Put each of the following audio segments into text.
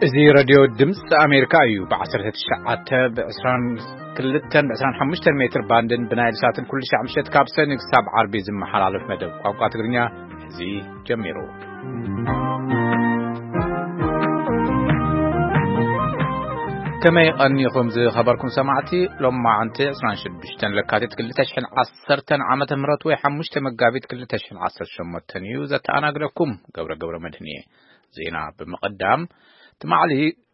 እዚ ሬድዮ ድምፂ ኣሜሪካ እዩ። ብ19፣ ብ22፣ ብ25 ሜትር ባንድን ብናይል ሳትን ኩሉ ሻዕ ምሸት ካብ ሰኒ ክሳብ ዓርቢ ዝመሓላለፍ መደብ ቋንቋ ትግርኛ እዚ ጀሚሩ። ከመይ ቀኒኹም ዝኸበርኩም ሰማዕቲ? ሎማዓንቲ ዕስራን ሽዱሽተን ለካቲት ክልተ ሽሕን ዓሰርተን ዓመተ ምህረት ወይ ሓሙሽተ መጋቢት ክልተ ሽሕን ዓሰርተ ሸሞንተን እዩ። ዘተኣናግደኩም ገብረ ገብረ መድህን እየ። ዜና ብምቕዳም፣ ትማሊ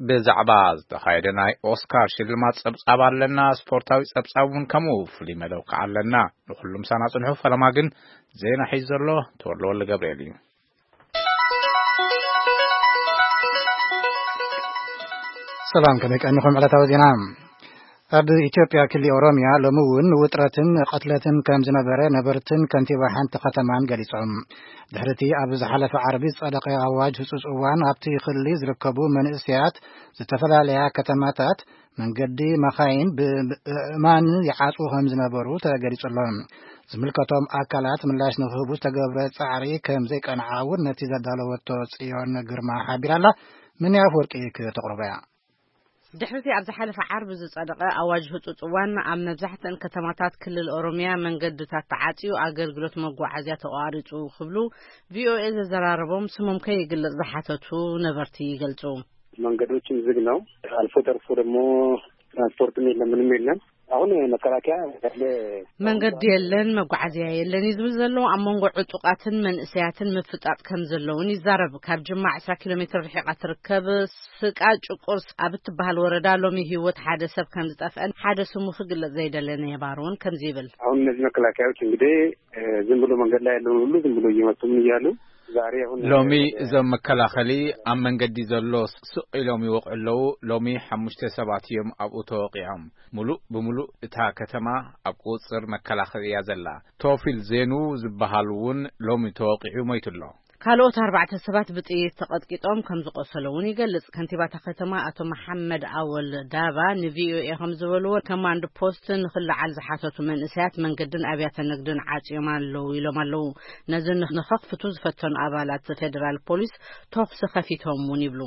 ብዛዕባ ዝተኻየደ ናይ ኦስካር ሽልማት ጸብጻብ ኣለና። ስፖርታዊ ጸብጻብ እውን ከምኡ ፍሉይ መደብ ከዓ ኣለና። ንኹሉ ምሳና ጽንሑ። ፈለማ ግን ዜና ሒዙ ዘሎ ተወልደ ወልደ ገብርኤል እዩ። ሰላም፣ ከመይ ቀኒኹም? ዕለታዊ ዜና። ኣብ ኢትዮጵያ ክሊ ኦሮሚያ ሎሚ እውን ውጥረትን ቅትለትን ከም ዝነበረ ነበርትን ከንቲባ ሓንቲ ከተማን ገሊጾም። ድሕሪቲ ኣብ ዝሓለፈ ዓርቢ ዝጸደቐ ኣዋጅ ህጹጽ እዋን ኣብቲ ክሊ ዝርከቡ መንእሰያት ዝተፈላለያ ከተማታት መንገዲ መኻይን ብእማን ይዓጽዉ ከም ዝነበሩ ተገሊጹ ኣሎ። ዝምልከቶም ኣካላት ምላሽ ንክህቡ ዝተገብረ ጻዕሪ ከም ዘይቀንዓ እውን ነቲ ዘዳለወቶ ጽዮን ግርማ ሓቢራ ኣላ። ምን ኣፈወርቂ ክተቕርቦ እያ። ድሕሪቲ ኣብ ዝሓለፈ ዓርቢ ዝጸደቐ ኣዋጅ ህጹጽ እዋን ኣብ መብዛሕትአን ከተማታት ክልል ኦሮሚያ መንገድታት ተዓጽዩ ኣገልግሎት መጓዓዝያ ተቋሪጹ ክብሉ ቪኦኤ ዘዘራረቦም ስሞም ከይግለጽ ዝሓተቱ ነበርቲ ይገልጹ። መንገዶችም ዝግ ነው። አልፎ ተርፎ ደግሞ ትራንስፖርትም የለም፣ ምንም የለም። አሁን መከላከያ ያለ መንገዲ የለን፣ መጓዓዝያ የለን እዩ ዝብል ዘሎ። ኣብ መንጎ ዕጡቃትን መንእሰያትን ምፍጣጥ ከም ዘለውን ይዛረብ። ካብ ጅማ ዕስራ ኪሎ ሜትር ርሒቓ ትርከብ ስቃ ጭቁርስ ኣብ እትበሃል ወረዳ ሎሚ ህይወት ሓደ ሰብ ከም ዝጠፍአን ሓደ ስሙ ክግለጽ ዘይደለ ነባሪ እውን ከምዚ ይብል። አሁን እነዚህ መከላከያዎች እንግዲህ ዝም ብሎ መንገድ ላይ ያለውን ሁሉ ዝም ብሎ እየመቱ ምን እያሉ ዛሬ አሁን ሎሚ ወደ እዞም መከላኸሊ ኣብ መንገዲ ዘሎ ስቕ ኢሎም ይወቕዑ ኣለዉ። ሎሚ ሓሙሽተ ሰባት እዮም ኣብኡ ተወቒዖም። ሙሉእ ብምሉእ እታ ከተማ ኣብ ቁጽር መከላኸሊ እያ ዘላ። ቶፊል ዜኑ ዝበሃል እውን ሎሚ ተወቒዑ ሞይቱ ኣሎ። ካልኦት ኣርባዕተ ሰባት ብጥይት ተቐጥቂጦም ከም ዝቆሰሉ እውን ይገልጽ። ከንቲባ እታ ከተማ ኣቶ መሓመድ ኣወል ዳባ ንቪኦኤ ከም ዝበልዎ፣ ኮማንድ ፖስት ንክለዓል ዝሓተቱ መንእሰያት መንገድን ኣብያተ ንግድን ዓጽዮም ኣለዉ ኢሎም ኣለዉ። ነዚ ንኸኽፍቱ ዝፈተኑ ኣባላት ፌደራል ፖሊስ ተኹሲ ከፊቶም እውን ይብሉ።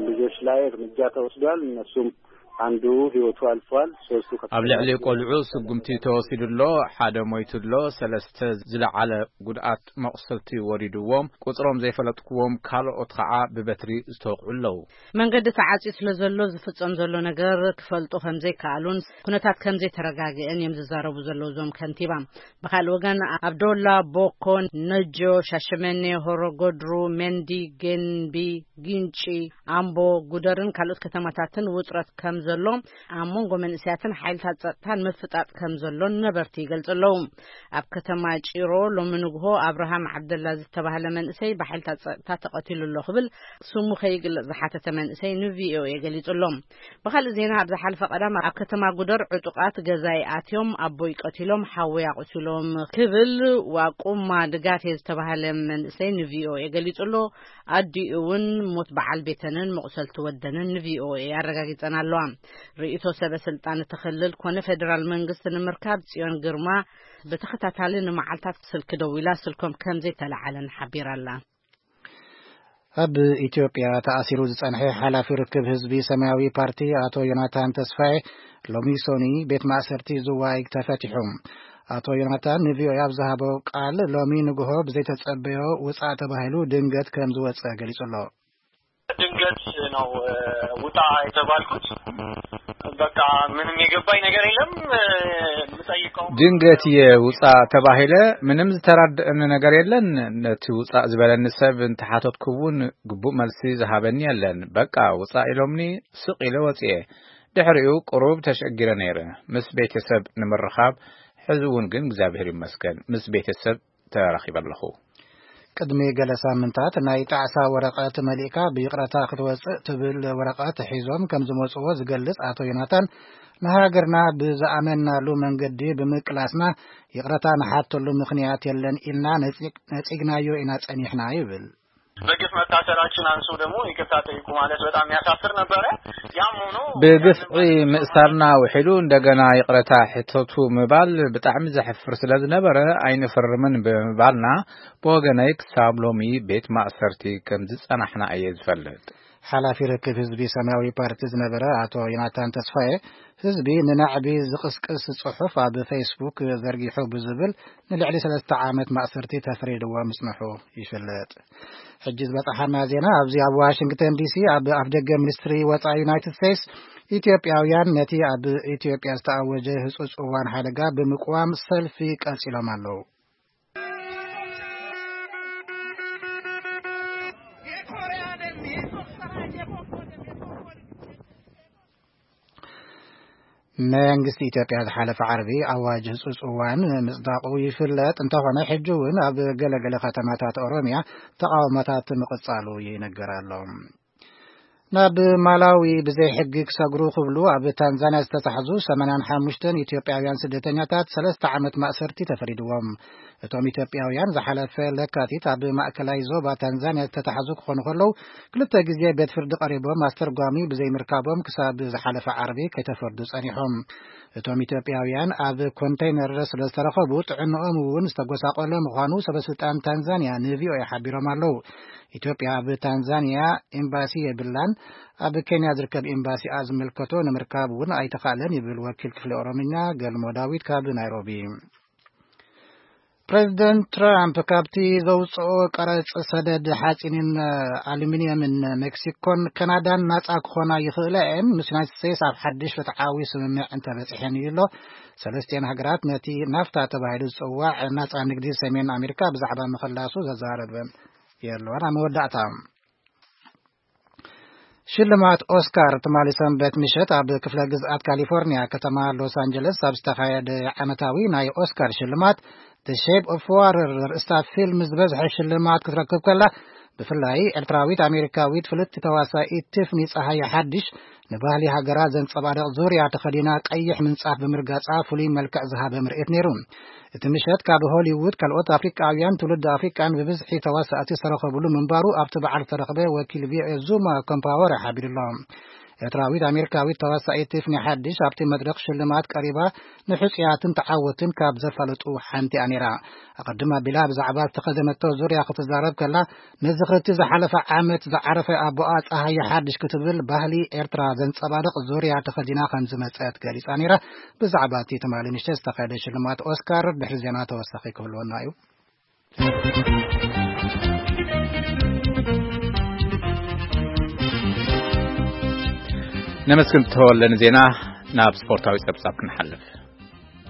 ልጆች ላይ እርምጃ ተወስዷል። እነሱም አንዱ ህይወቱ አልፏል። ሶስቱ ከፍተኛ ኣብ ልዕሊ ቆልዑ ስጉምቲ ተወሲዱ ኣሎ። ሓደ ሞይቱ ኣሎ። ሰለስተ ዝለዓለ ጉድኣት መቑሰልቲ ወሪድዎም። ቁጽሮም ዘይፈለጥክዎም ካልኦት ኸዓ ብበትሪ ዝተወቕዑ ኣለዉ። መንገዲ ተዓጽዩ ስለ ዘሎ ዝፍጸም ዘሎ ነገር ክፈልጡ ከም ዘይከኣሉን ኩነታት ከም ዘይተረጋግአን እዮም ዝዛረቡ ዘለዉ እዞም ከንቲባ። ብኻልእ ወገን ኣብ ዶላ፣ ቦኮ፣ ነጆ፣ ሻሸመኔ፣ ሆሮ ጎድሩ፣ መንዲ፣ ገንቢ፣ ጊንጪ፣ ኣምቦ፣ ጉደርን ካልኦት ከተማታትን ውጥረት ከም ዘሎ ኣብ መንጎ መንእሰያትን ሓይልታት ጸጥታን ምፍጣጥ ከም ዘሎን ነበርቲ ይገልጹ ኣለዉ። ኣብ ከተማ ጪሮ ሎሚ ንግሆ ኣብርሃም ዓብደላ ዝተባህለ መንእሰይ ብሓይልታት ጸጥታ ተቐቲሉ ኣሎ ክብል ስሙ ከይግለጽ ዝሓተተ መንእሰይ ንቪኦኤ ገሊጹ ኣሎ። ብኻልእ ዜና ኣብ ዝሓለፈ ቀዳም ኣብ ከተማ ጉደር ዕጡቓት ገዛይ ኣትዮም ኣቦይ ቀቲሎም ሓወይ ኣቑሲሎም ክብል ዋቁማ ድጋፌ ዝተባህለ መንእሰይ ንቪኦኤ ገሊጹ ኣሎ። ኣዲኡ እውን ሞት በዓል ቤተንን መቑሰልቲ ወደንን ንቪኦኤ ኣረጋጊጸን ኣለዋ። ርእይቶ ሰበ ስልጣን እቲ ክልል ኮነ ፌደራል መንግስቲ ንምርካብ ጽዮን ግርማ ብተኸታታሊ ንመዓልታት ስልኪ ደዊላ ስልኮም ከም ዘይተለዓለን ሓቢራ ኣላ። ኣብ ኢትዮጵያ ተኣሲሩ ዝጸንሐ ሓላፊ ርክብ ህዝቢ ሰማያዊ ፓርቲ ኣቶ ዮናታን ተስፋዬ ሎሚ ሶኒ ቤት ማእሰርቲ ዝዋይ ተፈቲሑ። ኣቶ ዮናታን ንቪኦኤ ኣብ ዝሃቦ ቃል ሎሚ ንግሆ ብዘይተጸበዮ ውጻእ ተባሂሉ ድንገት ከም ዝወጸ ገሊጹ ኣሎ። ድንገት ነው ውጣ የተባልኩት። በቃ ምንም የገባኝ ነገር የለም። የምጠይቀው ድንገት እየ ውጻ ተባሂለ። ምንም ዝተራድአኒ ነገር የለን። ነቲ ውጻእ ዝበለኒ ሰብ እንተሓተትኩ እውን ግቡእ መልሲ ዝሃበኒ የለን። በቃ ውጻእ ኢሎምኒ ስቕ ኢለ ወጽየ። ድሕሪኡ ቁሩብ ተሸጊረ ነይረ። ምስ ቤተሰብ ንምርኻብ ሕዚ እውን ግን እግዚኣብሔር ይመስገን ምስ ቤተሰብ ተራኺበ ኣለኹ። ቅድሚ ገለ ሳምንታት ናይ ጣዕሳ ወረቐት መሊእካ ብይቕረታ ክትወጽእ ትብል ወረቐት ሒዞም ከም ዝመጽዎ ዝገልጽ ኣቶ ዮናታን፣ ንሃገርና ብዝኣመንናሉ መንገዲ ብምቅላስና ይቕረታ ንሓተሉ ምኽንያት የለን ኢልና ነጺግ-፣ ነጺግናዮ ኢና ጸኒሕና ይብል። በግፍ መታሰራችን አንሶ ደግሞ ይቅርታ ጠይቁ ማለት በጣም ያሳፍር ነበረ። ያም ሆኖ ብግፍዒ ምእሳርና ውሒዱ እንደገና ይቕረታ ሕተቱ ምባል ብጣዕሚ ዘሕፍር ስለ ዝነበረ ኣይንፍርምን ብምባልና ብወገነይ ክሳብ ሎሚ ቤት ማእሰርቲ ከም ዝጸናሕና እየ ዝፈልጥ። ሓላፊ ርክብ ህዝቢ ሰማያዊ ፓርቲ ዝነበረ ኣቶ ዮናታን ተስፋዬ፣ ህዝቢ ንናዕቢ ዝቕስቅስ ጽሑፍ ኣብ ፌስቡክ ዘርጊሑ ብዝብል ንልዕሊ ሰለስተ ዓመት ማእሰርቲ ተፈሪድዎ ምጽንሑ ይፍለጥ። ሕጂ ዝበጽሓና ዜና ኣብዚ ኣብ ዋሽንግተን ዲሲ ኣብ ኣፍደገ ሚኒስትሪ ወጻኢ ዩናይትድ ስቴትስ፣ ኢትዮጵያውያን ነቲ ኣብ ኢትዮጵያ ዝተኣወጀ ህጹጽ እዋን ሓደጋ ብምቅዋም ሰልፊ ቀጺሎም ኣለዉ። መንግስቲ ኢትዮጵያ ዝሓለፈ ዓርቢ ኣዋጅ ህጹጽ እዋን ምጽዳቑ ይፍለጥ እንተኾነ፣ ሕጂ እውን ኣብ ገለገለ ከተማታት ኦሮምያ ተቓውሞታት ምቕጻሉ ይነገር ኣሎ። ናብ ማላዊ ብዘይ ሕጊ ክሰግሩ ክብሉ ኣብ ታንዛንያ ዝተታሕዙ ሰማንያን ሓሙሽተን ኢትዮጵያውያን ስደተኛታት ሰለስተ ዓመት ማእሰርቲ ተፈሪድዎም። እቶም ኢትዮጵያውያን ዝሓለፈ ለካቲት ኣብ ማእከላይ ዞባ ታንዛንያ ዝተታሕዙ ክኾኑ ከለዉ፣ ክልተ ግዜ ቤት ፍርዲ ቀሪቦም ኣስተርጓሚ ብዘይምርካቦም ክሳብ ዝሓለፈ ዓርቢ ከይተፈርዱ ጸኒሖም። እቶም ኢትዮጵያውያን ኣብ ኮንተይነር ስለ ዝተረኸቡ፣ ጥዕንኦም እውን ዝተጎሳቆለ ምዃኑ ሰበስልጣን ታንዛንያ ንቪኦኤ ሓቢሮም ኣለዉ። ኢትዮጵያ ኣብ ታንዛንያ ኤምባሲ የብላን። ኣብ ኬንያ ዝርከብ ኤምባሲኣ ዝምልከቶ ንምርካብ እውን ኣይተኻእለን ይብል ወኪል ክፍሊ ኦሮምኛ ገልሞ ዳዊት ካብ ናይሮቢ። ፕሬዚደንት ትራምፕ ካብቲ ዘውፅኦ ቀረፅ ሰደድ ሓፂንን ኣሉሚኒየምን ሜክሲኮን ካናዳን ናፃ ክኾና ይኽእላ እየን፣ ምስ ዩናይትድ ስቴትስ ኣብ ሓድሽ ፍትሓዊ ስምምዕ እንተበፂሐን እዩ ኣሎ። ሰለስቲኤን ሃገራት ነቲ ናፍታ ተባሂሉ ዝፅዋዕ ናፃ ንግዲ ሰሜን ኣሜሪካ ብዛዕባ ምኽላሱ ዘዛረበን የለዋን። ኣብ መወዳእታ ሽልማት ኦስካር ትማሊ ሰንበት ምሸት ኣብ ክፍለ ግዝኣት ካሊፎርኒያ ከተማ ሎስ ኣንጀለስ ኣብ ዝተኻየደ ዓመታዊ ናይ ኦስካር ሽልማት፣ The Shape of Water ዘርእስታ ፊልም ዝበዝሐ ሽልማት ክትረክብ ከላ፣ ብፍላይ ኤርትራዊት ኣሜሪካዊት ፍልጥቲ ተዋሳኢት ቲፍኒ ጸሃየ ሓድሽ፣ ንባህሊ ሃገራ ዘንጸባርቕ ዙርያ ተኸዲና ቀይሕ ምንጻፍ ብምርጋጻ ፍሉይ መልክዕ ዝሃበ ምርኢት ነይሩ። እቲ ምሸት ካብ ሆሊውድ ካልኦት ኣፍሪቃውያን ትውልዲ ኣፍሪቃን ብብዝሒ ተዋሳእቲ ዝተረኸብሉ ምንባሩ ኣብቲ በዓል ዝተረኽበ ወኪል ቪኦኤ ዙማ ኮምፓወረ ሓቢሩ ኣሎ። ኤርትራዊት ኣሜሪካዊት ተዋሳኢት ቲፍኒ ሓድሽ ኣብቲ መድረኽ ሽልማት ቀሪባ ንሕጹያትን ተዓወትን ካብ ዘፋለጡ ሓንቲ እያ ነይራ። ኣቐድም ኣቢላ ብዛዕባ ዝተኸደነቶ ዙርያ ክትዛረብ ከላ፣ ነዚ ክልቲ ዝሓለፈ ዓመት ዝዓረፈ ኣቦኣ ጸሃየ ሓድሽ ክትብል ባህሊ ኤርትራ ዘንጸባርቕ ዙርያ ተኸዲና ከም ዝመጸት ገሊጻ ነይራ። ብዛዕባ እቲ ትማሊ ምሸት ዝተኻየደ ሽልማት ኦስካር ድሕሪ ዜና ተወሳኺ ክህልወና እዩ። ነመስግን ተወለ ንዜና። ናብ ስፖርታዊ ጸብጻብ ክንሓልፍ።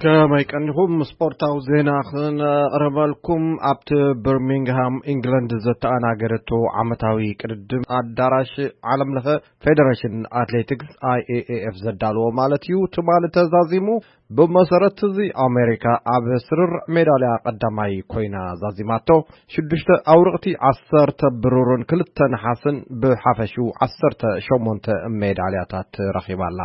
ከመይ ቀኒኹም? ስፖርታዊ ዜና ክነቕርበልኩም። ኣብቲ በርሚንግሃም ኢንግለንድ ዘተኣናገደቶ ዓመታዊ ቅድድም ኣዳራሽ ዓለም ለኸ ፌደሬሽን ኣትሌቲክስ፣ ኣይኤኤኤፍ፣ ዘዳለዎ ማለት እዩ፣ ትማሊ ተዛዚሙ። ብመሰረት እዚ ኣሜሪካ ኣብ ስርርዕ ሜዳልያ ቀዳማይ ኮይና ዛዚማቶ። ሽዱሽተ ኣውርቕቲ፣ ዓሰርተ ብሩርን ክልተ ነሓስን ብሓፈሽኡ ዓሰርተ ሸሞንተ ሜዳልያታት ረኺባ ኣላ።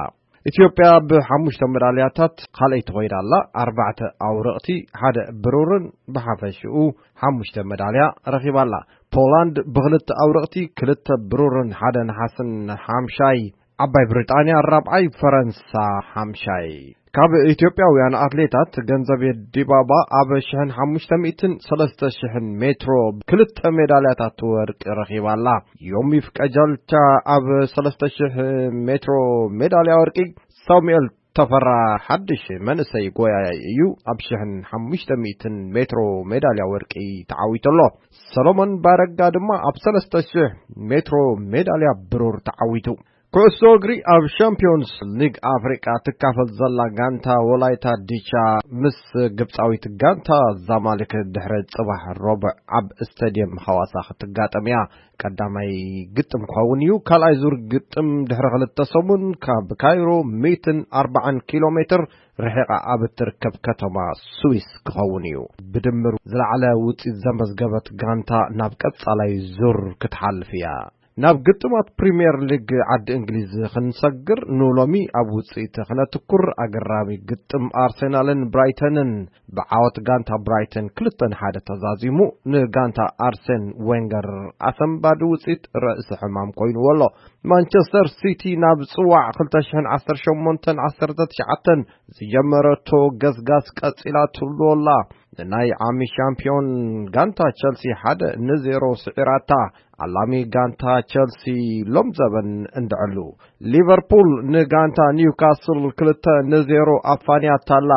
ኢትዮጵያ ብሓሙሽተ መዳልያታት ካልኣይቲ ኮይና ኣላ። ኣርባዕተ ኣውርቕቲ፣ ሓደ ብሩርን ብሓፈሽኡ ሓሙሽተ መዳልያ ረኺባ ኣላ። ፖላንድ ብኽልተ ኣውርቕቲ፣ ክልተ ብሩርን ሓደ ነሓስን ሓምሻይ፣ ዓባይ ብሪጣንያ ራብዓይ፣ ፈረንሳ ሓምሻይ። ካብ ኢትዮጵያውያን ኣትሌታት ገንዘቤ ዲባባ ኣብ ሽሕን ሓሙሽተ ሚእትን ሰለስተ ሽሕን ሜትሮ ክልተ ሜዳልያታት ወርቂ ረኺባ ኣላ። ዮሚፍ ቀጀልቻ ኣብ ሰለስተ ሽሕ ሜትሮ ሜዳልያ ወርቂ፣ ሳሙኤል ተፈራ ሓድሽ መንእሰይ ጎያያይ እዩ፣ ኣብ ሽሕን ሓሙሽተ ሚእትን ሜትሮ ሜዳልያ ወርቂ ተዓዊቱ ኣሎ። ሰሎሞን ባረጋ ድማ ኣብ ሰለስተ ሽሕ ሜትሮ ሜዳልያ ብሩር ተዓዊቱ። ኩዕሶ እግሪ፣ ኣብ ሻምፒዮንስ ሊግ ኣፍሪቃ ትካፈል ዘላ ጋንታ ወላይታ ዲቻ ምስ ግብጻዊት ጋንታ ዛማሊክ ድሕሪ ጽባሕ ረቡዕ ኣብ ስታድየም ሃዋሳ ክትጋጠም እያ። ቀዳማይ ግጥም ክኸውን እዩ። ካልኣይ ዙር ግጥም ድሕሪ ክልተ ሰሙን ካብ ካይሮ ሚእትን ኣርባዓን ኪሎ ሜትር ርሒቓ ኣብ እትርከብ ከተማ ስዊስ ክኸውን እዩ። ብድምር ዝለዓለ ውጽኢት ዘመዝገበት ጋንታ ናብ ቀጻላይ ዙር ክትሓልፍ እያ። ናብ ግጥማት ፕሪምየር ሊግ ዓዲ እንግሊዝ ክንሰግር፣ ንሎሚ ኣብ ውጽኢት ክነትኩር። ኣገራሚ ግጥም ኣርሴናልን ብራይተንን ብዓወት ጋንታ ብራይተን ክልተ ንሓደ ተዛዚሙ፣ ንጋንታ ኣርሴን ዌንገር ኣሰንባዲ ውጽኢት ርእሲ ሕማም ኮይንዎ ኣሎ። ማንቸስተር ሲቲ ናብ ጽዋዕ ክልተ ሽሕን ዓሰርተ ሸሞንተን ዓሰርተ ትሽዓተን ዝጀመረቶ ገስጋስ ቀጺላትሉ ኣላ። ንናይ ዓሚ ሻምፒዮን ጋንታ ቸልሲ ሓደ ንዜሮ ስዒራታ። ዓላሚ ጋንታ ቸልሲ ሎም ዘበን እንድዕሉ። ሊቨርፑል ንጋንታ ኒውካስል ክልተ ንዜሮ ኣፋንያታላ።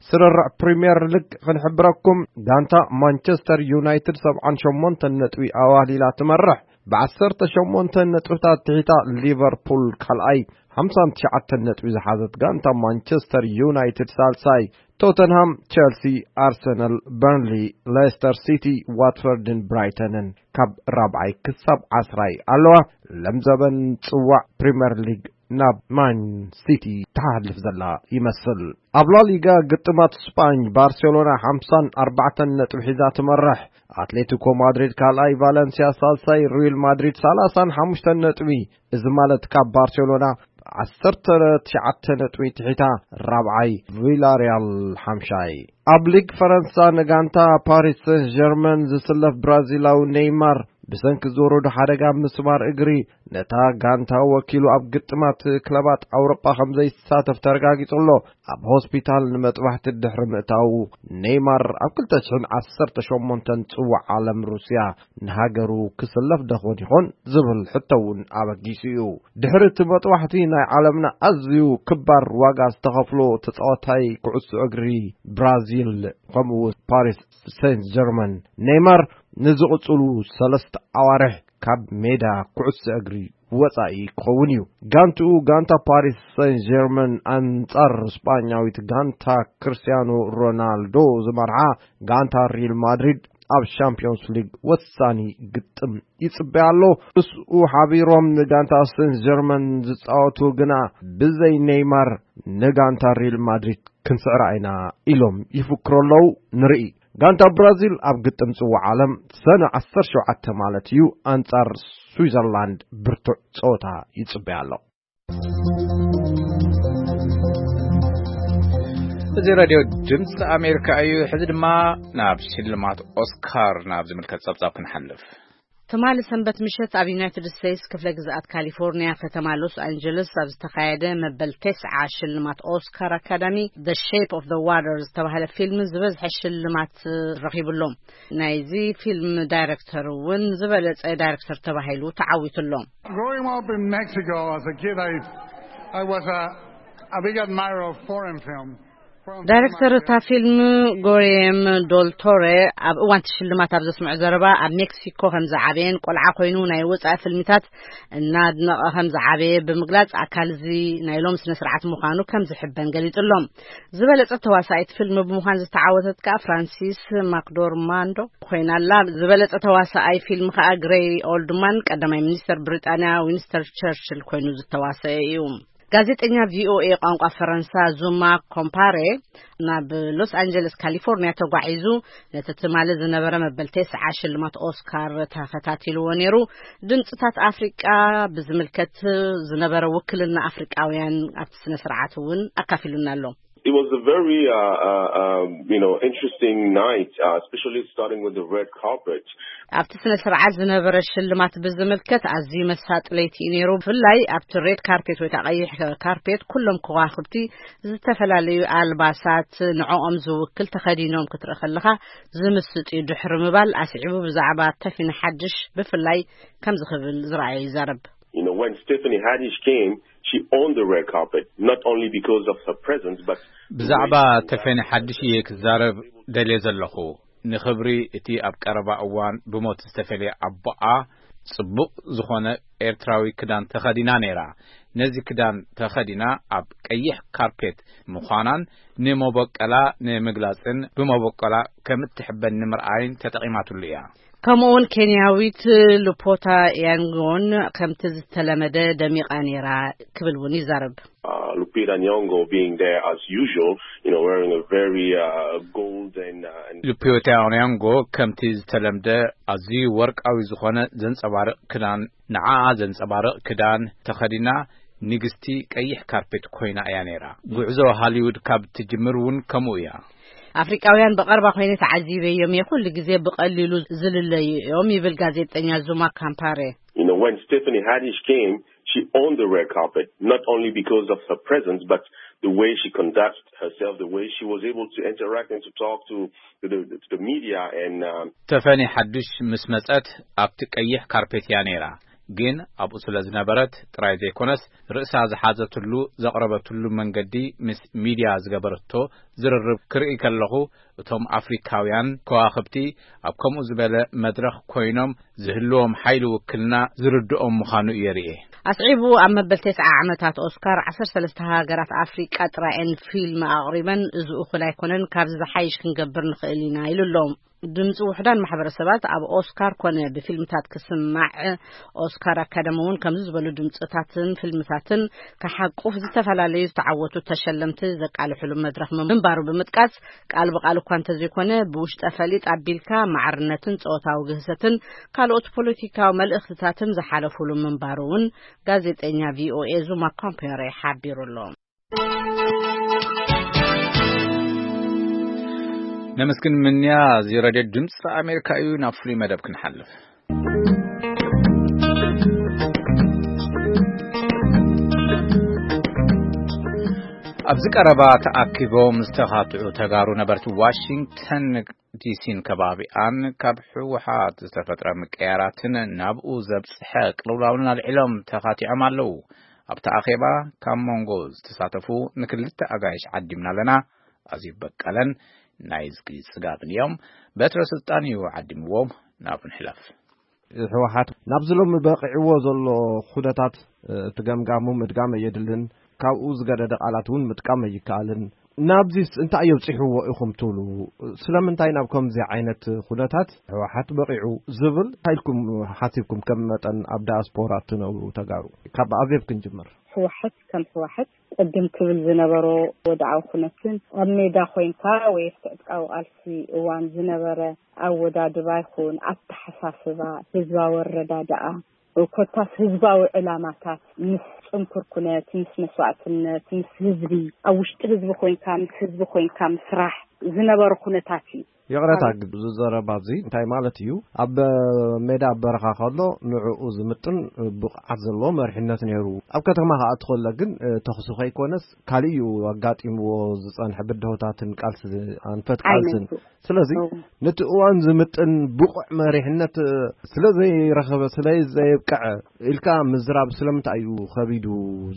ስርርዕ ፕሪምየር ሊግ ክንሕብረኩም፣ ጋንታ ማንቸስተር ዩናይትድ ሰብዓን ሸሞንተን ነጥቢ ኣዋሊላ ትመርሕ። ብዓሰርተ ሸሞንተ ነጥብታት ትሒታ ሊቨርፑል ካልኣይ፣ ሓምሳን ትሽዓተን ነጥቢ ዝሓዘት ጋንታ ማንቸስተር ዩናይትድ ሳልሳይ፣ ቶተንሃም፣ ቸልሲ፣ ኣርሰናል፣ በርንሊ፣ ሌስተር ሲቲ፣ ዋትፈርድን ብራይተንን ካብ ራብዓይ ክሳብ ዓስራይ ኣለዋ። ለምዘበን ጽዋዕ ፕሪምየር ሊግ ናብ ማን ሲቲ ትሓልፍ ዘላ ይመስል። ኣብ ላሊጋ ግጥማት ስጳኝ፣ ባርሴሎና ሓምሳን ኣርባዕተን ነጥቢ ሒዛ ትመርሕ። ኣትሌቲኮ ማድሪድ ካልኣይ፣ ቫለንሲያ ሳልሳይ፣ ሪል ማድሪድ ሰላሳን ሓሙሽተን ነጥቢ፣ እዚ ማለት ካብ ባርሴሎና ዓሰርተ ትሽዓተ ነጥቢ ትሒታ ራብዓይ፣ ቪላሪያል ሓምሻይ። ኣብ ሊግ ፈረንሳ ንጋንታ ፓሪስ ሰን ጀርመን ዝስለፍ ብራዚላዊ ኔይማር ብሰንኪ ዝወረዶ ሓደጋ ምስማር እግሪ ነታ ጋንታ ወኪሉ ኣብ ግጥማት ክለባት ኣውሮጳ ከም ዘይሳተፍ ተረጋጊጹ ኣሎ። ኣብ ሆስፒታል ንመጥባሕቲ ድሕሪ ምእታዉ፣ ኔይማር ኣብ ክልተ ሽሕን ዓሰርተ ሸሞንተን ጽዋዕ ዓለም ሩስያ ንሃገሩ ክስለፍ ደኾን ይኾን ዝብል ሕቶ እውን ኣበጊሱ እዩ። ድሕሪ እቲ መጥባሕቲ ናይ ዓለምና ኣዝዩ ክባር ዋጋ ዝተኸፍሎ ተጻዋታይ ኩዕሶ እግሪ ብራዚል ከምኡ እውን ፓሪስ ሴንት ጀርመን፣ ኔይማር ንዝቕጽሉ ሰለስተ ኣዋርሕ ካብ ሜዳ ኩዕሶ እግሪ ወጻኢ ክኸውን እዩ። ጋንትኡ ጋንታ ፓሪስ ሴን ጀርመን ኣንጻር ስጳኛዊት ጋንታ ክርስቲያኖ ሮናልዶ ዝመርሓ ጋንታ ሪል ማድሪድ ኣብ ሻምፒዮንስ ሊግ ወሳኒ ግጥም ይጽበያ ኣሎ። ምስኡ ሓቢሮም ንጋንታ ሴን ጀርመን ዝጻወቱ ግና ብዘይ ኔይማር ንጋንታ ሪል ማድሪድ ክንስዕራ ኢና ኢሎም ይፍክሩ ኣለዉ። ንርኢ። ጋንታ ብራዚል ኣብ ግጥም ጽዋዕ ዓለም ሰነ ዓሰርተ ሸውዓተ ማለት እዩ ኣንጻር ስዊዘርላንድ ብርቱዕ ጸወታ ይጽበያ ኣሎ። እዚ ሬድዮ ድምፂ ኣሜሪካ እዩ። ሕዚ ድማ ናብ ሽልማት ኦስካር ናብ ዝምልከት ጸብጻብ ክንሓልፍ። ትማሊ ሰንበት ምሸት ኣብ ዩናይትድ ስቴትስ ክፍለ ግዝኣት ካሊፎርኒያ ከተማ ሎስ ኣንጀለስ ኣብ ዝተኻየደ መበል ተስዓ ሽልማት ኦስካር ኣካዳሚ The Shape of the Water ዝተባህለ ፊልም ዝበዝሐ ሽልማት ረኺቡ ኣሎ። ናይዚ ፊልም ዳይሬክተር እውን ዝበለጸ ዳይሬክተር ተባሂሉ ተዓዊቱ ኣሎ። Growing up in Mexico as a kid, I, I was a, a big admirer of foreign film. Foreign film. ዳይሬክተር እታ ፊልም ጎርየም ዶል ቶሬ ኣብ እዋን እቲ ሽልማት ኣብ ዘስምዖ ዘረባ ኣብ ሜክሲኮ ከም ዝዓበየን ቆልዓ ኮይኑ ናይ ወጻኢ ፊልምታት እናድነቐ ከም ዝዓበየ ብምግላጽ ኣካል እዚ ናይ ሎም ስነ ስርዓት ምዃኑ ከም ዝሕበን ገሊጹ ኣሎ። ዝበለጸት ተዋሳኢት ፊልም ብምዃን ዝተዓወተት ከኣ ፍራንሲስ ማክዶርማንዶ ኮይና ኣላ። ዝበለጸ ተዋሳኣይ ፊልም ከኣ ግሬይ ኦልድማን ቀዳማይ ሚኒስተር ብሪጣንያ ዊንስተር ቸርችል ኮይኑ ዝተዋሰአ እዩ። ጋዜጠኛ ቪኦኤ ቋንቋ ፈረንሳ ዙማ ኮምፓሬ ናብ ሎስ ኣንጀለስ ካሊፎርኒያ ተጓዒዙ ነቲ ትማሊ ዝነበረ መበል ተስዓ ሽልማት ኦስካር ተኸታቲልዎ ነይሩ። ድምፅታት ኣፍሪቃ ብዝምልከት ዝነበረ ውክልና ኣፍሪቃውያን ኣብቲ ስነ ስርዓት እውን ኣካፊሉና ኣሎ። It was a very, uh, uh, um, you know, interesting night, uh, especially starting with the red carpet. ኣብቲ ስነ ስርዓት ዝነበረ ሽልማት ብዝምልከት ኣዝዩ መሳጢ ለይቲ እዩ ነይሩ። ብፍላይ ኣብቲ ሬድ ካርፔት ወይ ከዓ ቀይሕ ካርፔት ኩሎም ከዋኽብቲ ዝተፈላለዩ ኣልባሳት ንዕኦም ዝውክል ተኸዲኖም ክትርኢ ከለኻ ዝምስጥ እዩ። ድሕሪ ምባል ኣስዒቡ ብዛዕባ ተፊን ሓድሽ ብፍላይ ከምዚ ክብል ዝረኣዮ ይዛረብ። You know, when Stephanie Haddish came, she owned the red carpet, not only because of her presence, but ብዛዕባ ተፌኒ ሓድሽ እየ ክዛረብ ደልየ ዘለኹ። ንኽብሪ እቲ ኣብ ቀረባ እዋን ብሞት ዝተፈልየ ኣቦኣ ጽቡቕ ዝኾነ ኤርትራዊ ክዳን ተኸዲና ነይራ። ነዚ ክዳን ተኸዲና ኣብ ቀይሕ ካርፔት ምዃናን ንመበቆላ ንምግላጽን ብመበቆላ ከም እትሕበን ንምርኣይን ተጠቒማትሉ እያ። ከምኡውን ኬንያዊት ሉፖታ ያንጎን ከምቲ ዝተለመደ ደሚቓ ነይራ ክብል እውን ይዛረብ። Uh, Lupita Nyong'o being there as usual, you know, wearing a very, uh, gold and, uh, and ሉፒታ ኒያንጎ ከምቲ ዝተለምደ ኣዝዩ ወርቃዊ ዝኾነ ዘንጸባርቕ ክዳን፣ ንዓኣ ዘንጸባርቕ ክዳን ተኸዲና ንግስቲ ቀይሕ ካርፔት ኮይና እያ ነይራ። ጉዕዞ ሃሊውድ ካብ ትጅምር እውን ከምኡ እያ። ኣፍሪቃውያን ብቐርባ ኮይነ ተዓዚበዮም እየ። ኩሉ ግዜ ብቐሊሉ ዝልለዩ እዮም ይብል ጋዜጠኛ ዙማ ካምፓሬ። You know, when Stephanie Haddish came, she owned the red carpet, not only because of her presence, but the way she conducts herself, the way she was able to interact and to talk to, to the, to the media and um, ተፈኒ ሓዱሽ ምስ መጸት ኣብቲ ቀይሕ ካርፔት እያ ነይራ። ግን ኣብኡ ስለ ዝነበረት ጥራይ ዘይኮነስ፣ ርእሳ ዝሓዘትሉ ዘቕረበትሉ መንገዲ ምስ ሚድያ ዝገበረቶ ዝርርብ ክርኢ ከለኹ፣ እቶም ኣፍሪካውያን ከዋኽብቲ ኣብ ከምኡ ዝበለ መድረኽ ኮይኖም ዝህልዎም ሓይሊ ውክልና ዝርድኦም ምዃኑ እየ ርእየ። ኣስዒቡ ኣብ መበል ተስዓ ዓመታት ኦስካር ዓሰርተ ሰለስተ ሃገራት ኣፍሪቃ ጥራየን ፊልም ኣቕሪበን፣ እዚ እኹል ኣይኮነን፣ ካብዚ ዝሓይሽ ክንገብር ንኽእል ኢና ኢሉ ኣሎ። ድምፂ ውሕዳን ማሕበረሰባት ኣብ ኦስካር ኮነ ብፊልምታት ክስማዕ፣ ኦስካር ኣካደሚ እውን ከምዚ ዝበሉ ድምፅታትን ፊልምታትን ክሓቁፍ ዝተፈላለዩ ዝተዓወቱ ተሸለምቲ ዘቃልሕሉ መድረኽ ምንባሩ ብምጥቃስ፣ ቃል ብቃል እኳ እንተዘይኮነ ብውሽጠ ፈሊጥ ኣቢልካ ማዕርነትን ፆታዊ ግህሰትን ካልኦት ፖለቲካዊ መልእኽትታትን ዝሓለፉሉ ምንባሩ እውን ጋዜጠኛ ቪኦኤ ዙማ ኮምፔሬ ሓቢሩ ኣሎ። ነመስግን ምንያ። እዚ ሬድዮ ድምፂ ኣሜሪካ እዩ። ናብ ፍሉይ መደብ ክንሓልፍ። ኣብዚ ቀረባ ተኣኪቦም ዝተኻትዑ ተጋሩ ነበርቲ ዋሽንግተን ዲሲን ከባቢኣን ካብ ህወሓት ዝተፈጥረ ምቅያራትን ናብኡ ዘብፅሐ ቅልውላውን ኣልዒሎም ተኻቲዖም ኣለዉ። ኣብቲ ኣኼባ ካብ መንጎ ዝተሳተፉ ንክልተ ኣጋይሽ ዓዲምና ኣለና። ኣዝዩ በቀለን ናይ ዝጊ ጽጋብን እዮም። በትረ ስልጣን እዩ ዓዲምዎም። ናብኡ ንሕለፍ። ህወሓት ናብዚ ሎሚ በቒዕዎ ዘሎ ኩነታት፣ እ፣ እቲ ገምጋሙ ምድጋም ኣየድልን፣ ካብኡ ዝገደደ ቃላት እውን ምጥቃም ኣይከኣልን። ናብዚስ እንታይ የብፂሕዎ ኢኹም ትብሉ? ስለምንታይ ናብ ከምዚ ዓይነት ኩነታት ህወሓት በቒዑ ዝብል እንታይ ኢልኩም ሓሲብኩም፣ ከም መጠን ኣብ ዳያስፖራ እትነብሩ ተጋሩ? ካብ ኣዜብ ክንጅምር። ህወሓት ከም ህወሓት ቅድም ክብል ዝነበሮ ወድዓዊ ኩነትን ኣብ ሜዳ ኮይንካ ወይ ኣብቲ ዕጥቃዊ ቃልሲ እዋን ዝነበረ ኣወዳድባ ይኹን ኣተሓሳስባ፣ ህዝባዊ ኣረዳድኣ፣ ኮታስ ህዝባዊ ዕላማታት ምስ ጽንኩር ኩነት፣ ምስ መስዋዕትነት፣ ምስ ህዝቢ፣ ኣብ ውሽጢ ህዝቢ ኮይንካ፣ ምስ ህዝቢ ኮይንካ ምስራሕ ዝነበረ ኩነታት እዩ። ይቕረታ፣ ካብ ግን እዚ ዘረባ እዚ እንታይ ማለት እዩ? ኣብ ሜዳ ኣብ በረኻ ከሎ ንዕኡ ዝምጥን ብቕዓት ዘለዎ መሪሕነት ነይሩ። ኣብ ከተማ ክኣቱ ከሎ ግን፣ እ፣ ተኽሲ ከይኮነስ ካልእ እዩ ኣጋጢምዎ ዝጸንሐ ብድሆታትን ቃልሲ፣ ኣንፈት ቃልስን። ኣይነቱ። ስለዚ እው። ነቲ እዋን ዝምጥን ብቑዕ መሪሕነት፣ እ፣ ስለ ዘይረኸበ፣ ስለ ዘየብቅዐ ኢልካ ምዝራብ ስለምንታይ እዩ ከቢዱ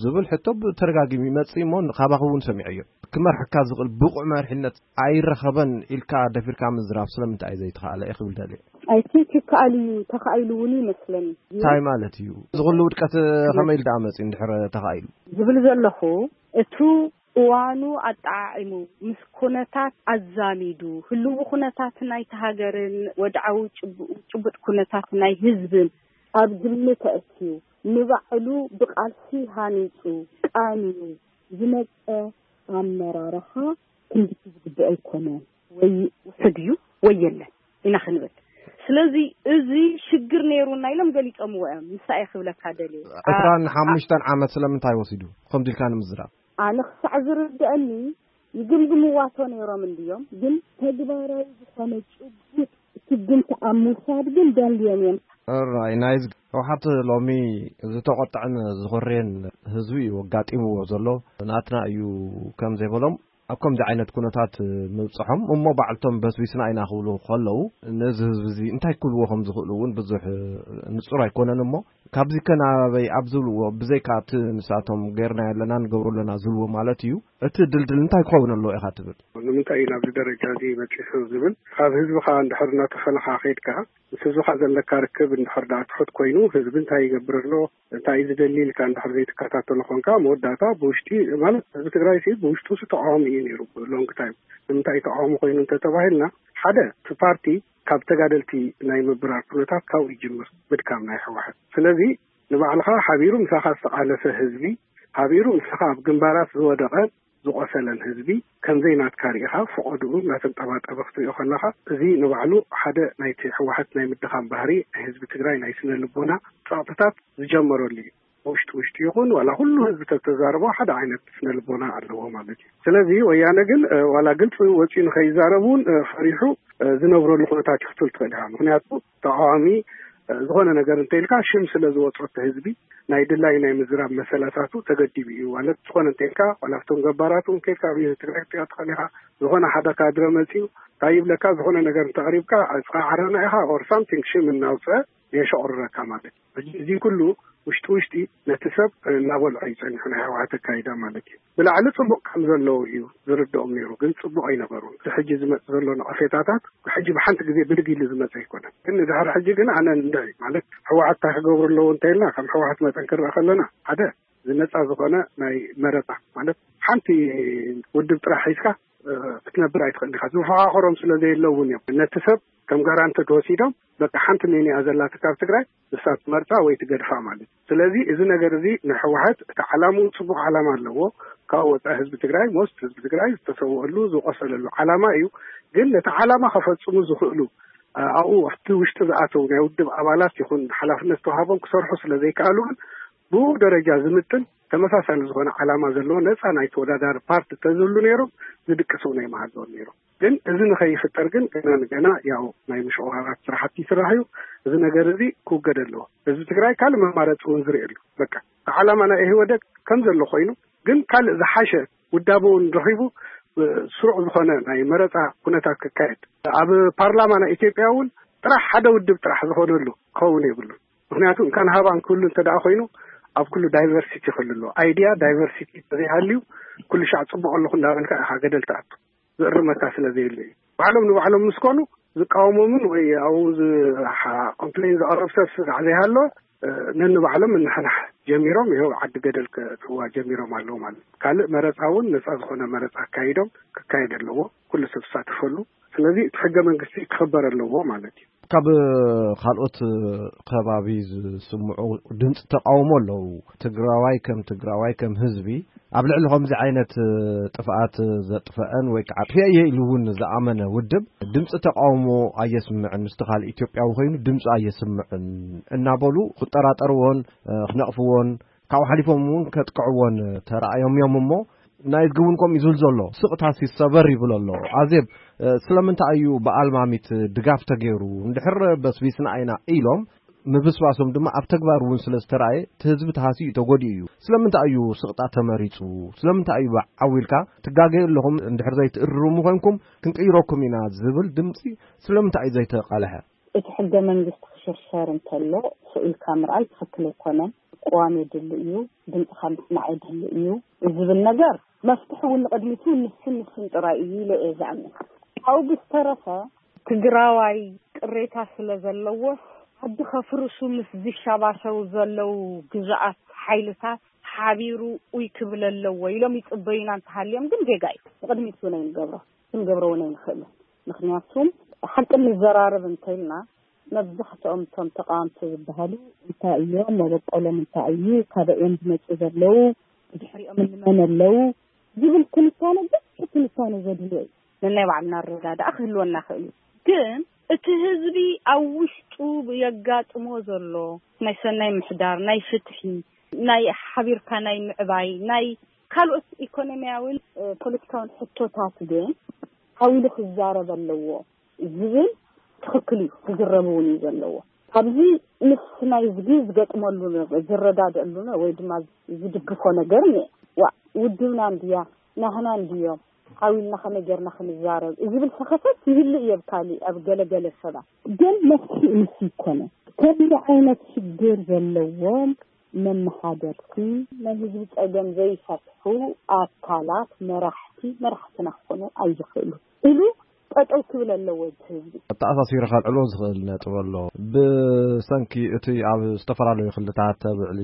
ዝብል ሕቶ ብተደጋጊሙ ይመጽእ እሞ፣ ካባኹም እውን ሰሚዐዮ። ክመርሐካ ዝኽእል ብቑዕ መሪሕነት ኣይረኸበን ኢልካ ደፊርካ ምዝራብ ስለምንታይ እዩ ዘይተኻእለ እየ ክብል ደልየ። I think ይከኣል እዩ፣ ተኻኢሉ እውን ይመስለኒ። እንታይ ማለት እዩ? እዚ ኩሉ ውድቀት ከመይ ኢሉ ደኣ መጺኡ እንድሕር ተኻኢሉ? ዝብል ዘለኹ፣ እቱ እዋኑ ኣጠዓዒሙ፣ ምስ ኩነታት ኣዛሚዱ፣ ህልዊ ኩነታት ናይቲ ሃገርን ወድዓዊ ጭቡ-፣ ጭቡጥ ኩነታት ናይ ህዝብን ኣብ ግምት ኣእትዩ፣ ንባዕሉ ብቃልሲ ሃኒጹ፣ ቃንዩ ዝመጸ ኣመራርሓ ክንድቲ ዝግብኦ ኣይኮነን። ወይ ውሑድ እዩ ወይ የለን ኢና ክንብል። ስለዚ እዚ ሽግር ነይሩና ኢሎም ገሊጾምዎ እዮም። ንሳ እየ ክብለካ ደልየ። ዕስራን ሓሙሽተን ዓመት ስለምንታይ ወሲዱ? ከምዚ ኢልካ ንምዝራብ። ኣነ ክሳዕ ዝርድአኒ ይግምግምዋቶ ነይሮም እንድዮም፣ ግን ተግባራዊ ዝኾነ ጭቡጥ ስጉምቲ ኣብ ምውሳድ ግን ደልዮም እዮም። ራይ ናይዝ ህወሓት ሎሚ ዝተቖጥዐን ዝኾረየን ህዝቢ እዩ ኣጋጢምዎ ዘሎ። ናትና እዩ ከም ዘይበሎም ኣብ ከምዚ ዓይነት ኩነታት ምብፅሖም እሞ ባዕልቶም በስቢስና ኢና ክብሉ ከለዉ ነዚ ህዝቢ እዚ እንታይ ክብልዎ ከም ዝኽእሉ እውን ብዙሕ ንፁር ኣይኮነን። እሞ ካብዚ ከ ናበይ ኣብ ዝብልዎ ብዘይካ እቲ ንሳቶም ገይርና ኣለና ንገብሮ ኣለና ዝብልዎ ማለት እዩ እቲ ድልድል እንታይ ክኸውን ኣለዎ ኢኻ ትብል? ንምንታይ እዩ ናብዚ ደረጃ እዚ በፂሑ ዝብል ካብ ህዝብኻ እንድሕር እናተፈለኻ ከይድካ ምስ ህዝብኻ ዘለካ ርክብ እንድሕር ደኣ ትሑት ኮይኑ ህዝቢ እንታይ ይገብር ኣሎ እንታይ እዩ ዝደሊ ኢልካ እንድሕር ዘይትከታተሎ ኮንካ መወዳእታ ብውሽጢ ማለት ህዝቢ ትግራይ ሲ ብውሽጡ ሲ ተቃዋሚ እዩ ነይሩ long time። ንምንታይ ተቃዋሚ ኮይኑ እንተተባሂልና ሓደ እቲ ፓርቲ ካብ ተጋደልቲ ናይ ምብራር ኩነታት ካብኡ ይጅምር ምድካም ናይ ህወሓት። ስለዚ ንባዕልኻ ሓቢሩ ምሳኻ ዝተቃለሰ ህዝቢ ሓቢሩ ንስኻ ኣብ ግንባራት ዝወደቐ ዝቆሰለን ህዝቢ ከምዘይ ናትካ ርኢኻ ፈቐድኡ እናተንጠባጠበ ክትሪኦ ከለኻ እዚ ንባዕሉ ሓደ ናይቲ ህወሓት ናይ ምድኻም ባህሪ ናይ ህዝቢ ትግራይ ናይ ስነ ልቦና ፀቕጥታት ዝጀመረሉ እዩ። ውሽጢ ውሽጢ ይኹን ዋላ ኩሉ ህዝቢ ተተዛረቦ ሓደ ዓይነት ስነ ልቦና ኣለዎ ማለት እዩ። ስለዚ ወያነ ግን ዋላ ግልፂ ወፂኡ ንኸይዛረብ እውን ፈሪሑ ዝነብረሉ ኩነታት እዩ ክትብል ትኽእል ኢኻ። ምክንያቱ ተቃዋሚ ዝኾነ ነገር እንተኢልካ ሽም ስለ ዝወፅኦ እቲ ህዝቢ ናይ ድላይ ናይ ምዝራብ መሰላታቱ ተገዲቡ እዩ ማለት። ዝኾነ እንተኢልካ ዋላ ኣብቶም ገባራቱ እንከይልካ ኣብ ትግራይ ክትሪኦ ትኽእል ኢኻ። ዝኾነ ሓደ ካድረ መፂኡ እንታይ ይብለካ፣ ዝኾነ ነገር እንተቕሪብካ እስኻ ዓረና ኢኻ or something ሽም እናውፅአ የሸቑርረካ ማለት እዩ። ሕጂ እዚ ኩሉ ውሽጢ ውሽጢ ነቲ ሰብ እናበልዖ እዩ ፀኒሑ ናይ ህወሓት ኣካይዳ ማለት እዩ። ብላዕሊ ፅቡቕ ከም ዘለዉ እዩ ዝርድኦም ነይሩ፣ ግን ፅቡቕ ኣይነበሩን። እቲ ሕጂ ዝመፅ ዘሎ ነቐፌታታት ሕጂ ብሓንቲ ግዜ ብድግ ኢሉ ዝመፀ ኣይኮነን። ግን ንድሕሪ ሕጂ ግን ኣነ እንድዒ ማለት ህወሓት እንታይ ክገብሩ ኣለዎ እንተኢልና ከም ህወሓት መጠን ክረአ ከለና ሓደ እዚ ነፃ ዝኾነ ናይ መረፃ ማለት ሓንቲ ውድብ ጥራሕ ሒዝካ ክትነብር ኣይትኽእልካ። ዝፈኻኸሮም ስለ ዘየለውን እዮም ነቲ ሰብ ከም ጋራንትድ ወሲዶም በቃ ሓንቲ ሜንያ ዘለካ ካብ ትግራይ ንሳ ትመርፃ ወይ ትገድፋ ማለት እዩ። ስለዚ እዚ ነገር እዚ ንሕወሓት እቲ ዓላምኡ ፅቡቕ ዓላማ ኣለዎ። ካብ ወፃኢ ህዝቢ ትግራይ ሞስት ህዝቢ ትግራይ ዝተሰወሉ ዝቆሰለሉ ዓላማ እዩ። ግን ነቲ ዓላማ ከፈፅሙ ዝኽእሉ ኣብኡ ኣብቲ ውሽጢ ዝኣተው ናይ ውድብ ኣባላት ይኹን ሓላፍነት ተዋሃቦም ክሰርሑ ስለ ዘይከኣሉ ግን ብኡ ደረጃ ዝምጥን ተመሳሳሊ ዝኾነ ዓላማ ዘለዎ ነፃ ናይ ተወዳዳሪ ፓርቲ ተዝህሉ ነይሮም ዝድቅስ እውን ኣይመሃለዎም ነይሮም። ግን እዚ ንኸይፍጠር ግን ገና ንገና ያው ናይ ምሽቑራራት ስራሕቲ ይስራሕ እዩ። እዚ ነገር እዚ ክውገድ ኣለዎ። ህዝቢ ትግራይ ካልእ መማረፂ እውን ዝርእየሉ በቃ እቲ ዓላማ ናይ ኢህወደግ ከም ዘሎ ኮይኑ ግን ካልእ ዝሓሸ ውዳበ እውን ረኺቡ ስሩዕ ዝኾነ ናይ መረፃ ኩነታት ክካየድ ኣብ ፓርላማ ናይ ኢትዮጵያ እውን ጥራሕ ሓደ ውድብ ጥራሕ ዝኾነሉ ክኸውን የብሉን። ምክንያቱ እንካን ሃባን ክህሉ እንተ ደኣ ኮይኑ ኣብ ኩሉ ዳይቨርሲቲ ክህሉ ኣለዎ። ኣይድያ ዳይቨርሲቲ እንተዘይሃልዩ ኩሉ ሻዕ ፅቡቕ ኣለኹ እንዳበልካ ኢኻ ገደል ትኣቱ ዝእርመካ ስለ ዘየለ እዩ። ባዕሎም ንባዕሎም ምስ ኮኑ ዝቃወሞምን ወይ ኣብኡ ኮምፕሌን ዘቕርብ ሰብ ስጋዕ ዘይሃለወ ነንባዕሎም ምንሕናሕ ጀሚሮም ይኸው ዓዲ ገደል ከእትውዋ ጀሚሮም ኣለዉ ማለት እዩ። ካልእ መረፃ እውን ነፃ ዝኾነ መረፃ ኣካይዶም ክካየድ ኣለዎ፣ ኩሉ ሰብ ዝሳተፈሉ። ስለዚ እቲ ሕገ መንግስቲ ክኽበር ኣለዎ ማለት እዩ። ካብ ካልኦት ከባቢ ዝስምዑ ድምፂ ተቃውሞ ኣለዉ። ትግራዋይ ከም ትግራዋይ ከም ህዝቢ ኣብ ልዕሊ ከምዚ ዓይነት ጥፍኣት ዘጥፈአን ወይ ከዓ ኣጥፊአ እየ ኢሉ እውን ዝኣመነ ውድብ ድምፂ ተቃውሞ ኣየስምዕን፣ ምስቲ ካልእ ኢትዮጵያዊ ኮይኑ ድምፂ ኣየስምዕን እናበሉ ክጠራጠርዎን ክነቕፍዎን ካብኡ ሓሊፎም እውን ከጥቅዕዎን ተራእዮም እዮም። እሞ ናይዝጊ እውን ከምኡ እዩ ዝብል ዘሎ። ስቕታሲ ሰበር ይብል ኣሎ። ኣዜብ፣ ስለምንታይ እዩ ብኣልማሚት ድጋፍ ተገይሩ? እንድሕር በስቢስና ኢና ኢሎም ምብስባሶም ድማ ኣብ ተግባር እውን ስለ ዝተራእየ እቲ ህዝቢ ተሃስዩ እዩ፣ ተጎዲኡ እዩ። ስለምንታይ እዩ ስቕጣ ተመሪፁ? ስለምንታይ እዩ ዓው ኢልካ ትጋገዩ ኣለኹም፣ እንድሕር ዘይትእርሙ ኮይንኩም ክንቅይረኩም ኢና ዝብል ድምፂ ስለምንታይ እዩ ዘይተቃልሐ? እቲ ሕገ መንግስቲ ክሽርሸር እንተሎ ስቕ ኢልካ ምርኣይ ትኽክል ኣይኮነን። ቅዋም የድሊ እዩ፣ ድምፅኻ ምስማዕ የድሊ እዩ ዝብል ነገር መፍትሒ እውን ንቕድሚት እውን ንስን ንስን ጥራይ እዩ ኢለ እየ ዝኣምን። ካብኡ ብዝተረፈ ትግራዋይ ቅሬታ ስለ ዘለዎስ ዓዲ ከፍርሱ ምስ ዝሸባሸቡ ዘለዉ ግዙኣት ሓይልታት ሓቢሩ ኡይ ክብል ኣለዎ ኢሎም ይፅበዩና እንተሃልዮም ግን ጌጋ እዩ። ንቕድሚት እውን ኣይንገብሮ፣ ክንገብሮ እውን ኣይንኽእልን። ምክንያቱም ሓቂ ንዘራረብ እንተኢልና መብዛሕትኦም እቶም ተቃወምቲ ዝበሃሉ እንታይ እዮም፣ መበቆሎም እንታይ እዩ፣ ካበይ እዮም ዝመፁ ዘለዉ፣ ብድሕሪኦም እንመን ኣለዉ ዝብል ትንታነ ገፊሕ ትንታነ ዘድልዮ እዩ። ነናይ ባዕልና ኣረዳድኣ ክህልወና ይኽእል እዩ። ግን እቲ ህዝቢ ኣብ ውሽጡ የጋጥሞ ዘሎ ናይ ሰናይ ምሕዳር፣ ናይ ፍትሒ፣ ናይ ሓቢርካ ናይ ምዕባይ፣ ናይ ካልኦት ኢኮኖሚያውን ፖለቲካውን ሕቶታት ግን ዓው ኢሉ ክዛረብ ኣለዎ ዝብል ትኽክል እዩ፣ ክዝረብ እውን እዩ ዘለዎ። ኣብዚ ምስ ናይ ዝጊ ዝገጥመሉ ዝረዳደእሉ ወይ ድማ ዝድግፎ ነገር እኒአ። ዋ ውድብና እንድያ ናህና እንድዮም ዓው ኢልና ከመይ ጌርና ክንዛረብ ዝብል ሰኸፈት ይህልእ እዩ ኣብ ካሊእ ኣብ ገለገለ ሰባት። ግን መፍትሒ ምስ ይኮነ ከምዚ ዓይነት ሽግር ዘለዎም መመሓደርቲ ናይ ህዝቢ ፀገም ዘይፈትሑ ኣካላት መራሕቲ መራሕትና ክኾኑ ኣይኽእሉ ኢሉ ጠጠው ክብል ኣለዎ እቲ ህዝቢ። ኣተኣሳሲሩ ከልዕሎ ዝኽእል ነጥብ ኣሎ። ብሰንኪ እቲ ኣብ ዝተፈላለዩ ክልታት ኣብ ልዕሊ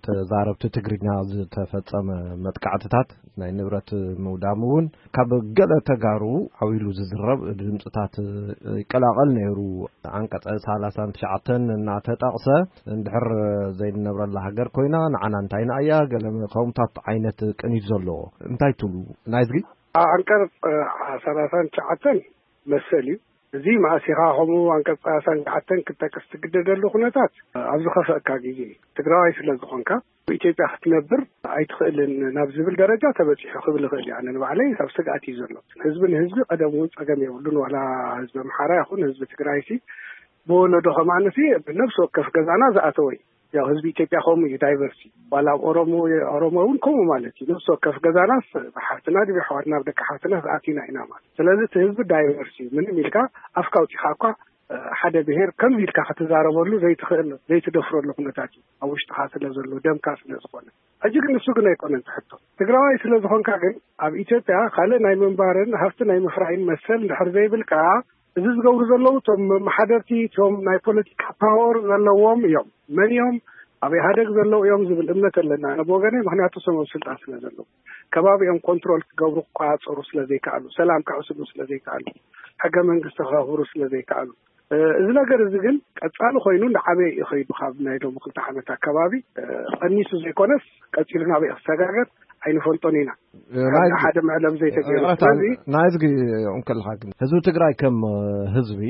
ተዛረብቲ ትግርኛ ዝተፈጸመ መጥቃዕትታት ናይ ንብረት ምውዳም እውን ካብ ገለ ተጋሩ ዓው ኢሉ ዝዝረብ ድምፅታት ይቀላቐል ነይሩ። ዓንቀፀ ሰላሳን ትሽዓተን እናተጠቕሰ እንድሕር ዘይንነብረላ ሃገር ኮይና ንዓና እንታይና እያ ገለ ከምታት ዓይነት ቅኒት ዘለዎ እንታይ ትብሉ ናይዝጊ? ዓንቀፅ ሰላሳን ትሽዓተን መሰል እዩ። እዚ መኣሲኻ ከምኡ ዓንቀፅ ሰላሳን ትሽዓተን ክጠቅስ ትግደደሉ ኩነታት ኣብ ዝኸፈእካ ግዜ እዩ። ትግራዋይ ስለ ዝኾንካ ብኢትዮጵያ ክትነብር ኣይትኽእልን ናብ ዝብል ደረጃ ተበፂሑ ክብል ይኽእል እዩ። ኣነ ንባዕለይ ኣብ ስግኣት እዩ ዘሎ። ህዝቢ ንህዝቢ ቀደም እውን ፀገም የብሉን። ዋላ ህዝቢ ኣምሓራ ይኹን ህዝቢ ትግራይ ሲ ብወለዶ ከማንሲ ብነፍሲ ወከፍ ገዛና ዝኣተወ እዩ። ያው ህዝቢ ኢትዮጵያ ከምኡ እዩ፣ ዳይቨርስ እዩ። ዋላ ኣብ ኦሮሞ ኦሮሞ እውን ከምኡ ማለት እዩ። ነፍሲ ወከፍ ገዛናስ ብሓፍትና ድብ ኣሕዋትና ብደቂ ሓፍትና ዝኣቲና ኢና ማለት። ስለዚ እቲ ህዝቢ ዳይቨርስ እዩ። ምንም ኢልካ ኣፍካ ኣውፂኻ እኳ ሓደ ብሄር ከምዚ ኢልካ ክትዛረበሉ ዘይትኽእል ዘይትደፍረሉ ኩነታት እዩ። ኣብ ውሽጥኻ ስለ ዘሎ፣ ደምካ ስለ ዝኾነ። ሕጂ ግን እሱ ግን ኣይኮነን ትሕቶ። ትግራዋይ ስለ ዝኾንካ ግን ኣብ ኢትዮጵያ ካልእ ናይ ምንባርን ሃፍቲ ናይ ምፍራይን መሰል እንድሕር ዘይብልካ፣ እዚ ዝገብሩ ዘለዉ እቶም መሓደርቲ እቶም ናይ ፖለቲካ ፓወር ዘለዎም እዮም። መን እዮም? ኣብ ኢህኣደግ ዘለዉ እዮም ዝብል እምነት ኣለና ኣነ ብወገነይ። ምክንያቱ እሶም ኣብ ስልጣን ስለ ዘለዉ፣ ከባቢኦም ኮንትሮል ክገብሩ ክቆፃፀሩ ስለ ዘይከኣሉ፣ ሰላም ከዕስሉ ስለ ዘይከኣሉ፣ ሕገ መንግስቲ ከኽብሩ ስለ ዘይከኣሉ፣ እዚ ነገር እዚ ግን ቀፃሊ ኮይኑ እንዳዓበየ እዩ ከይዱ። ካብ ናይ ሎም ክልተ ዓመት ኣከባቢ ቀኒሱ ዘይኮነስ ቀፂሉ ናበይ ክሰጋገር ኣይንፈልጦን ኢና። ሓደ መዕለብ ዘይተገይሩ ስለዚ ናይዚ እንከልካ ግን ህዝቢ ትግራይ ከም ህዝቢ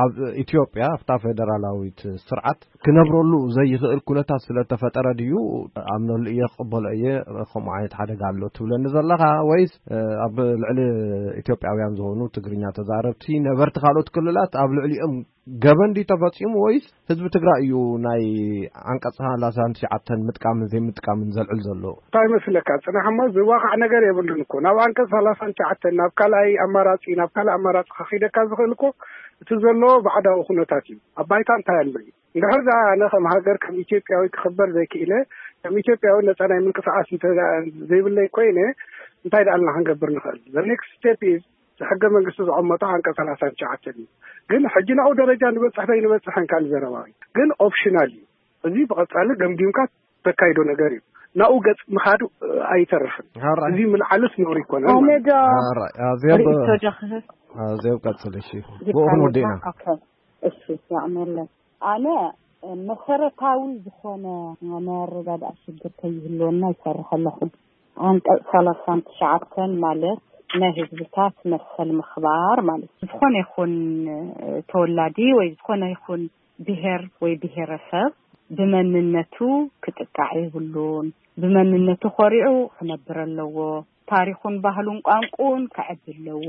ኣብ ኢትዮጵያ ኣብታ ፌደራላዊት ስርዓት ክነብረሉ ዘይኽእል ኩነታት ስለተፈጠረ ድዩ ኣምነሉ እየ ክቕበሎ እየ ከምኡ ዓይነት ሓደጋ ኣሎ ትብለኒ ዘለኻ? ወይስ ኣብ ልዕሊ ኢትዮጵያውያን ዝኾኑ ትግርኛ ተዛረብቲ ነበርቲ ካልኦት ክልላት ኣብ ልዕሊኦም ገበን ድዩ ተፈፂሙ? ወይስ ህዝቢ ትግራይ እዩ ናይ ዓንቀፅ ሰላሳን ትሽዓተን ምጥቃምን ዘይምጥቃምን ዘልዕል ዘሎ? እንታይ መስለካ? ፅናሕ እሞ ዝዋቃዕ ነገር የብሉን እኮ። ናብ ዓንቀፅ ሰላሳን ትሽዓተን ናብ ካልኣይ ኣማራፂ ናብ ካልእ ኣማራፂ ከኺደካ ዝኽእል እኮ እቲ ዘሎ ባዕዳዊ ኩነታት እዩ። ኣብ ባይታ እንታይ ኣሎ እዩ? እንድሕር ደኣ ኣነ ከም ሃገር ከም ኢትዮጵያዊ ክኽበር ዘይክእለ፣ ከም ኢትዮጵያዊ ነፃ ናይ ምንቅስቃስ ዘይብለይ ኮይነ እንታይ ደኣልና ክንገብር ንኽእል? The next step is ሕገ መንግስቲ ዘቐመጦ ዓንቀፅ ሰላሳን ትሽዓተን እዩ። ግን ሕጂ ናብኡ ደረጃ ንበፅሕ ዶ ኣይንበፅሕን ካልእ ዘረባ እዩ። ግን ኦፕሽናል እዩ። እዚ ብቐፃሊ ገምጊምካ ተካይዶ ነገር እዩ። ናብኡ ገፅ ምኻዱ ኣይተርፍን። እዚ ምልዓልስ ነውሪ ይኮነን። ኣነ ዶ ሪእቶ ዶ ክህብ? ዘብ ቀፅል እሺ። ብኡኹን ወዲእና። እሺ ያዕመለን። ኣነ መሰረታዊ ዝኾነ ናይ ኣረዳድኣ ሽግር ከይህልወና ይሰርሕ ኣለኹ። ዓንቀፅ ሰላሳን ትሽዓተን ማለት ናይ ህዝብታት መሰል ምኽባር ማለት ዝኾነ ይኹን ተወላዲ ወይ ዝኾነ ይኹን ብሄር ወይ ብሄረሰብ ብመንነቱ ክጥቃዕ የብሉን። ብመንነቱ ኮሪዑ ክነብር ኣለዎ። ታሪኹን ባህሉን ቋንቁን ከዕቢ ኣለዎ።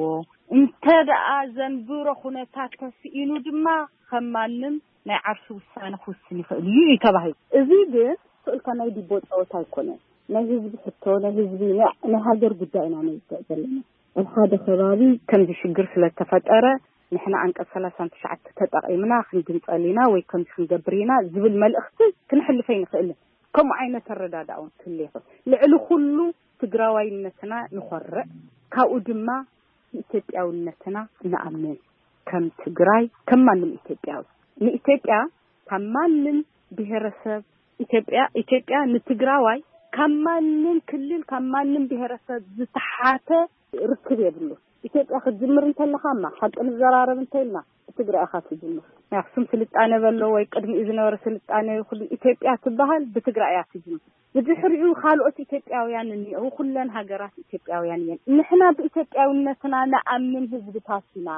እንተ ደኣ ዘንብሮ ኩነታት ተስኢኑ ድማ ከም ማንም ናይ ዓርሱ ውሳነ ክውስን ይኽእል እዩ እዩ ተባሂሉ። እዚ ግን ስእልካ ናይ ዲቦ ጸወታ ኣይኮነን። ናይ ህዝቢ ሕቶ፣ ናይ ህዝቢ ናይ ሃገር ጉዳይ ኢና ነውግዕ ዘለና። ኣብ ሓደ ከባቢ ከምዚ ሽግር ስለ ተፈጠረ ንሕና ዓንቀፅ ሰላሳን ትሽዓተ ተጠቒምና ክንግንጸል ኢና ወይ ከምዚ ክንገብር ኢና ዝብል መልእኽቲ ክንሕልፍ ኣይንኽእልን። ከምኡ ዓይነት ኣረዳድኣ እውን ክህሉ ይኽእል። ልዕሊ ኩሉ ትግራዋይነትና ንኾርዕ፣ ካብኡ ድማ ንኢትዮጵያውነትና ንኣምን። ከም ትግራይ ከም ማንም ኢትዮጵያዊ ንኢትዮጵያ ካብ ማንም ብሄረሰብ ኢትዮጵያ ኢትዮጵያ ንትግራዋይ ካብ ማንም ክልል ካብ ማንም ብሄረሰብ ዝተሓተ ርክብ የብሉ። ኢትዮጵያ ክትጅምር እንተለኻ ማ ሓቂ ንዘራረብ እንተኢልና ብትግራይ ኢኻ ትጅምር። ናይ ኣክሱም ስልጣነ በሎ ወይ ቅድሚኡ ዝነበረ ስልጣነ ይኹን ኢትዮጵያ ትበሃል ብትግራይ እያ ትጅምር። ብድሕሪኡ ካልኦት ኢትዮጵያውያን እኒአው ኩለን ሃገራት ኢትዮጵያውያን እየን። ንሕና ብኢትዮጵያውነትና ንኣምን ህዝብታት ኢና።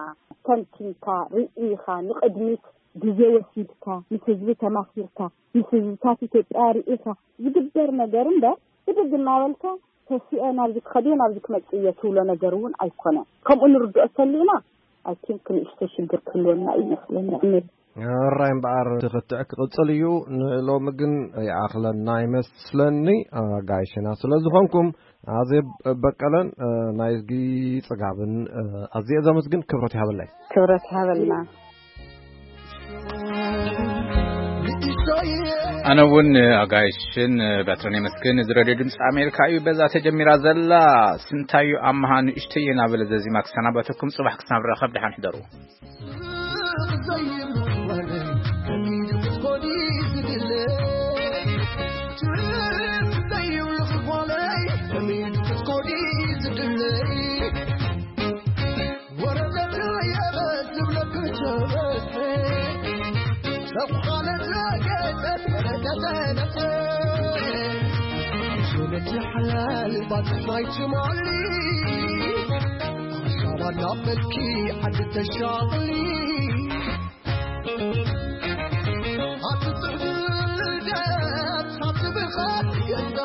ተንቲንካ ርኢኻ ንቅድሚት ግዜ ወሲድካ ምስ ህዝቢ ተማኺርካ ምስ ህዝብታት ኢትዮጵያ ርኢኻ ዝግበር ነገር እምበር ብድግ እናበልካ ተሲኤ ናብዚ ክኸድዮ ናብዚ ክመጽእ እየ ትብሎ ነገር እውን ኣይኮነን። ከምኡ ንርድኦ ተሊና ኣይ ቲንክ ንእሽቶ ሽግር ክህልወና እዩ ይመስለኒ። ዕምል ራይ እምበኣር ክትዕ ክቕጽል እዩ። ንሎሚ ግን ይኣኽለና ይመስለኒ ኣጋይሽና ስለ ዝኾንኩም ኣዜብ በቀለን ናይ ጽጋብን ኣዝየ ዘመስግን። ክብረት ይሃበለይ። ክብረት ይሃበልና። ኣነ እውን ኣጋይሽን በትረን የመስግን። እዚ ሬድዮ ድምፂ ኣሜሪካ እዩ። በዛ ተጀሚራ ዘላ ስንታዩ ኣመሃ ንእሽተይ እናበለ ዘዚማ ክሰናበተኩም። ፅባሕ ክሳብ ረኸብ ደሓን ሕደሩ። ሓላል ባፅማይ ትማሊ ሓሳባ ናብ መልኪ ዓዲ ተሻቕሊ ኣቲ ትዕድደት ሳትብኻ የዳ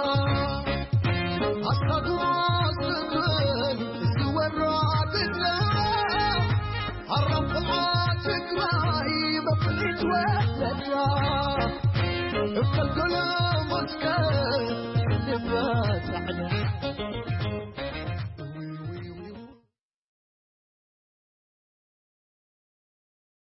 ኣስኻትዋ ስብል ዝወራ ትግረ ኣራብዓ ትግራይ መፍሊ ወለታ እፈልጎሎ ሞትካ ልባ ጻዕዳ